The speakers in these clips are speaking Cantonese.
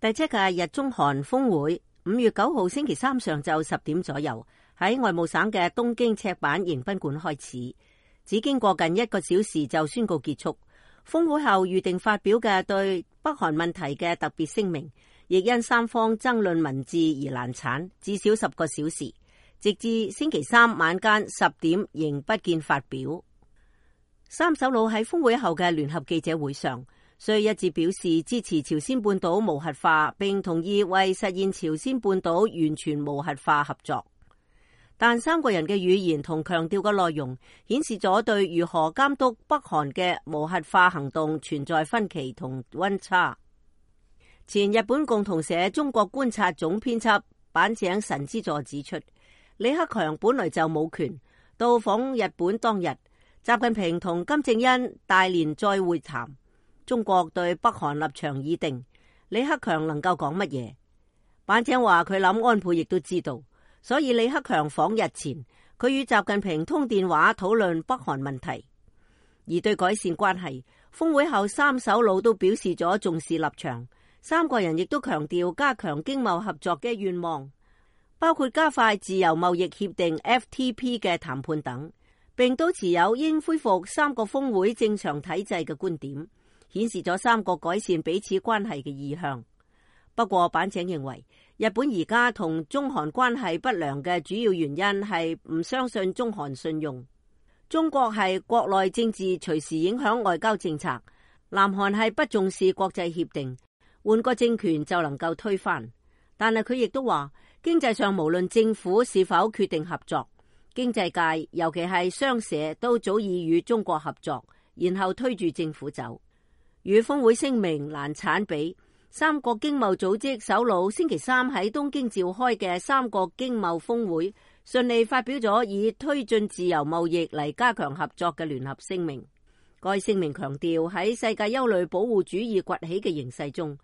第7屆日中韓峰會5月9號星期三上晝10點左右喺外務省嘅東京赤坂迎賓館開始，只經過近1個小時就宣告結束。峰會後預定發表嘅對北韓問題嘅特別聲明，亦因三方爭論文字而難產，至少10個小時，直至星期三晚間10點仍不見發表。三首腦喺峰會後嘅聯合記者會上，雖一致表示支持朝鮮半島無核化，並同意為實現朝鮮半島完全無核化合作，但三個人嘅語言同強調嘅內容顯示咗對如何監督北韓嘅無核化行動存在分歧同溫差。前日本共同社中國觀察總編輯板井神之助指出，李克強本來就冇權。到訪日本當日，習近平同金正恩大連再會談，中國對北韓立場已定，李克強能夠講乜嘢？板井話佢諗安倍亦都知道，所以李克強訪日前，佢與習近平通電話討論北韓問題。而對改善關係，峰會後三首腦都表示咗重視立場，三個人亦都強調加強經貿合作嘅願望，包括加快自由貿易協定 FTP 嘅談判等，並都持有應恢復三個峰會正常體制嘅觀點，顯示咗三個改善彼此關係嘅意向。不過板井認為，日本而家同中韓關係不良嘅主要原因係唔相信中韓信用。中國係國內政治隨時影響外交政策，南韓係不重視國際協定，換個政權就能夠推翻。但係佢亦都話，經濟上無論政府是否決定合作，經濟界尤其係商社都早已與中國合作，然後推住政府走。與峰會聲明難產比，三國經貿組織首腦星期三喺東京召開嘅三國經貿峰會，順利發表咗以推進自由貿易嚟加強合作嘅聯合聲明。該聲明強調喺世界憂慮保護主義崛起嘅形勢中，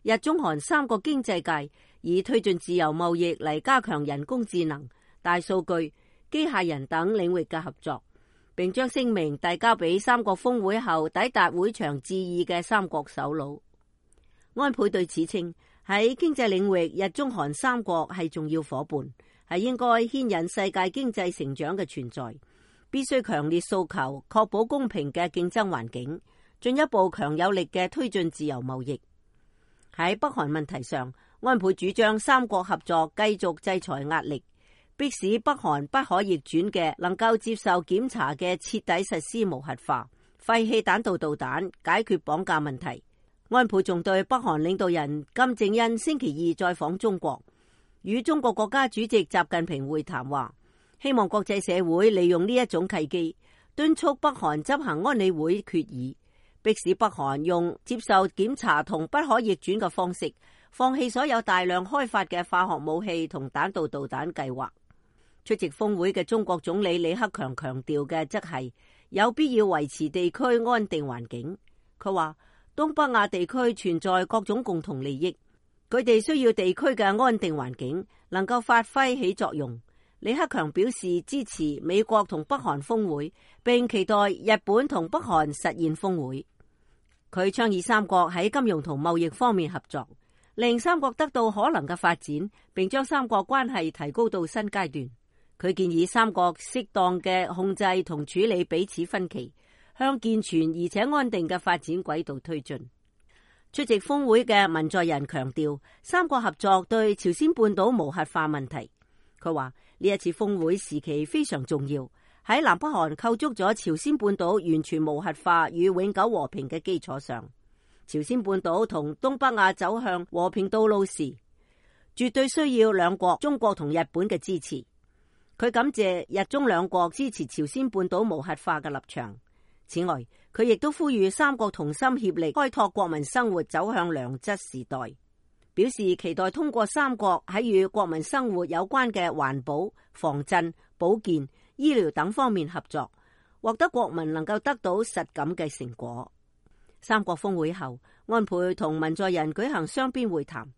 日中韓三個經濟界以推進自由貿易嚟加強人工智能、大數據、機械人等領域嘅合作，並將聲明遞交俾三國峰會後抵達會場致意嘅三國首腦。安倍對此稱，喺經濟領域，日中韓三國係重要夥伴，係應該牽引世界經濟成長嘅存在，必須強烈訴求確保公平嘅競爭環境，進一步強有力嘅推進自由貿易。喺北韓問題上，安倍主張三國合作繼續制裁壓力，迫使北韓不可逆轉嘅能夠接受檢查嘅徹底實施無核化，廢棄彈道導彈，解決綁架問題。安倍仲對北韓領導人金正恩星期2再訪中國，與中國國家主席習近平會談，話希望國際社會利用呢一種契機，敦促北韓執行安理會決議，迫使北韓用接受檢查同不可逆轉嘅方式，放棄所有大量開發嘅化學武器同彈道導彈計劃。出席峰會嘅中國總理李克強強調嘅則係有必要維持地區安定環境。佢話東北亞地區存在各種共同利益，佢哋需要地區嘅安定環境能夠發揮起作用。李克強表示支持美國同北韓峰會，並期待日本同北韓實現峰會。佢倡議三國喺金融同貿易方面合作，令三國得到可能嘅發展，並將三國關係提高到新階段。佢建議三國適當嘅控制同處理彼此分歧，向健全而且安定嘅發展軌道推進。出席峰會嘅文在寅強調三國合作對朝鮮半島無核化問題。佢話呢一次峰會時期非常重要，喺南北韓構築咗朝鮮半島完全無核化與永久和平嘅基礎上，朝鮮半島同東北亞走向和平道路時，絕對需要兩國中國同日本嘅支持。佢感謝日中兩國支持朝鮮半島無核化嘅立場。此外，佢亦都呼籲三國同心協力開拓國民生活走向良質時代，表示期待通過三國喺與國民生活有關嘅環保、防震、保健、醫療等方面合作，獲得國民能夠得到實感嘅成果。三國峰會後，安倍同文在寅舉行雙邊會談，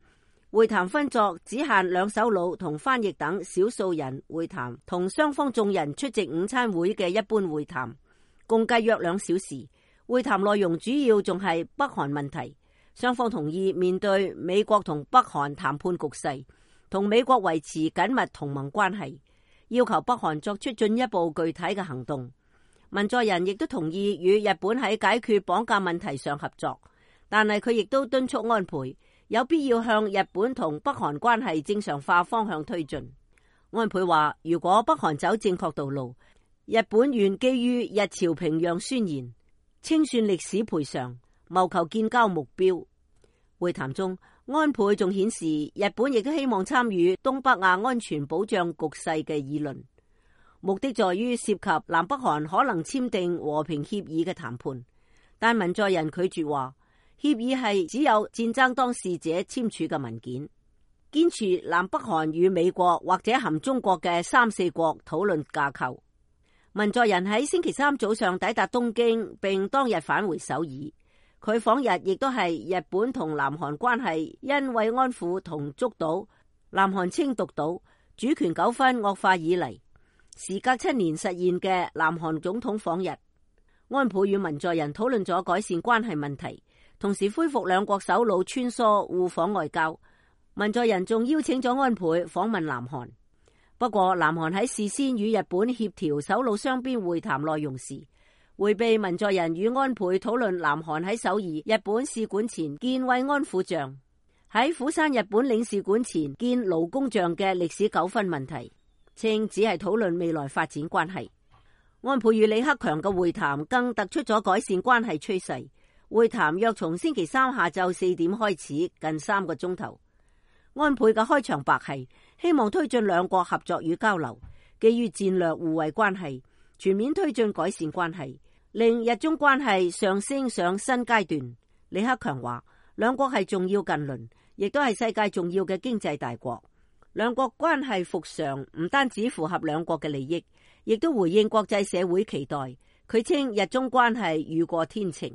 會談分作只限兩首腦同翻譯等少數人會談，同雙方眾人出席午餐會嘅一般會談，共計約2小時。會談內容主要仲係北韓問題，雙方同意面對美國同北韓談判局勢，同美國維持緊密同盟關係，要求北韓作出進一步具體嘅行動。文在寅亦都同意與日本喺解決綁架問題上合作，但係佢亦都敦促安倍有必要向日本同北韓關係正常化方向推進。安倍話，如果北韓走正確道路，日本願基於日朝平壤宣言清算歷史賠償，謀求建交目標。會談中，安倍仲顯示日本亦都希望參與東北亞安全保障局勢嘅議論，目的在於涉及南北韓可能簽訂和平協議嘅談判。但文在寅拒絕話，協議係只有戰爭當事者簽署嘅文件，堅持南北韓與美國或者含中國嘅三四國討論架構。文在寅喺星期三早上抵達東京，並當日返回首爾。佢訪日亦都係日本同南韓關係因慰安婦同竹島、南韓稱獨島主權糾紛惡化以嚟，時隔7年實現嘅南韓總統訪日。安倍與文在寅討論咗改善關係問題，同時恢復兩國首腦穿梭互訪外交。文在寅仲邀請咗安倍訪問南韓。不過，南韓喺事先與日本協調首腦雙邊會談內容時，迴避文在寅與安倍討論南韓喺首爾日本使館前建慰安婦像、喺釜山日本領事館前建勞工像嘅歷史糾紛問題，稱只係討論未來發展關係。安倍與李克強嘅會談更突出咗改善關係趨勢。會談約從星期三下晝4點開始，近3個鐘頭。安倍嘅開場白係希望推進兩國合作與交流，基於戰略互惠關係，全面推進改善關係，令日中關係上升上新階段。李克強話，兩國係重要近鄰，亦都係世界重要嘅經濟大國。兩國關係復常唔單止符合兩國嘅利益，亦都回應國際社會期待。佢稱日中關係雨過天晴。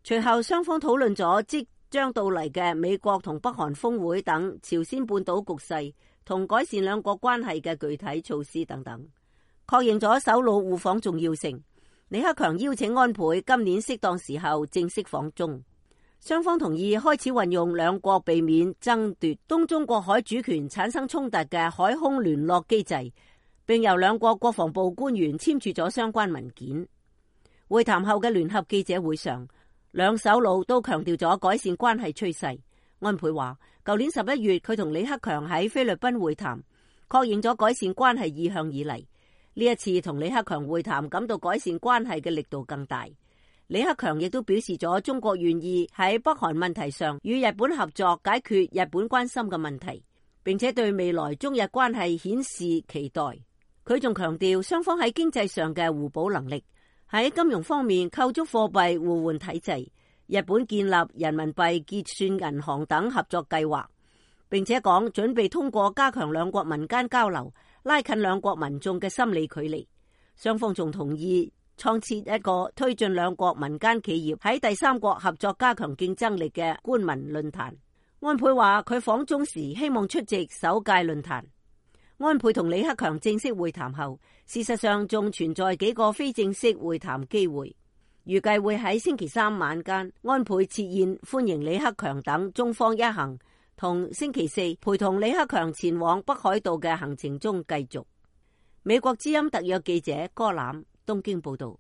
隨後雙方討論咗即將到嚟嘅美國同北韓峰會等朝鮮半島局勢同改善兩國關係嘅具體措施等等，確認咗首腦互訪重要性。李克強邀請安倍今年適當時候正式訪中，雙方同意開始運用兩國避免爭奪東中國海主權產生衝突嘅海空聯絡機制，並由兩國國防部官員簽署咗相關文件。會談後嘅聯合記者會上，兩首腦都強調咗改善關係趨勢。安倍話，舊年11月佢同李克強喺菲律賓會談，確認咗改善關係意向以嚟，呢一次同李克強會談感到改善關係嘅力度更大。李克強亦都表示咗中國願意喺北韓問題上與日本合作解決日本關心嘅問題，並且對未來中日關係顯示期待。佢仲強調雙方喺經濟上嘅互補能力，喺金融方面構築貨幣互換體制，日本建立人民幣結算銀行等合作計劃，並且講準備通過加強兩國民間交流，拉近兩國民眾嘅心理距離。雙方仲同意創設一個推進兩國民間企業喺第三國合作加強競爭力嘅官民論壇。安倍話佢訪中時希望出席首屆論壇。安倍同李克強正式會談後，事實上仲存在幾個非正式會談機會，預計會喺星期三晚間安倍設宴歡迎李克強等中方一行，同星期四陪同李克強前往北海道嘅行程中繼續。美國之音特約記者柯攬東京報道。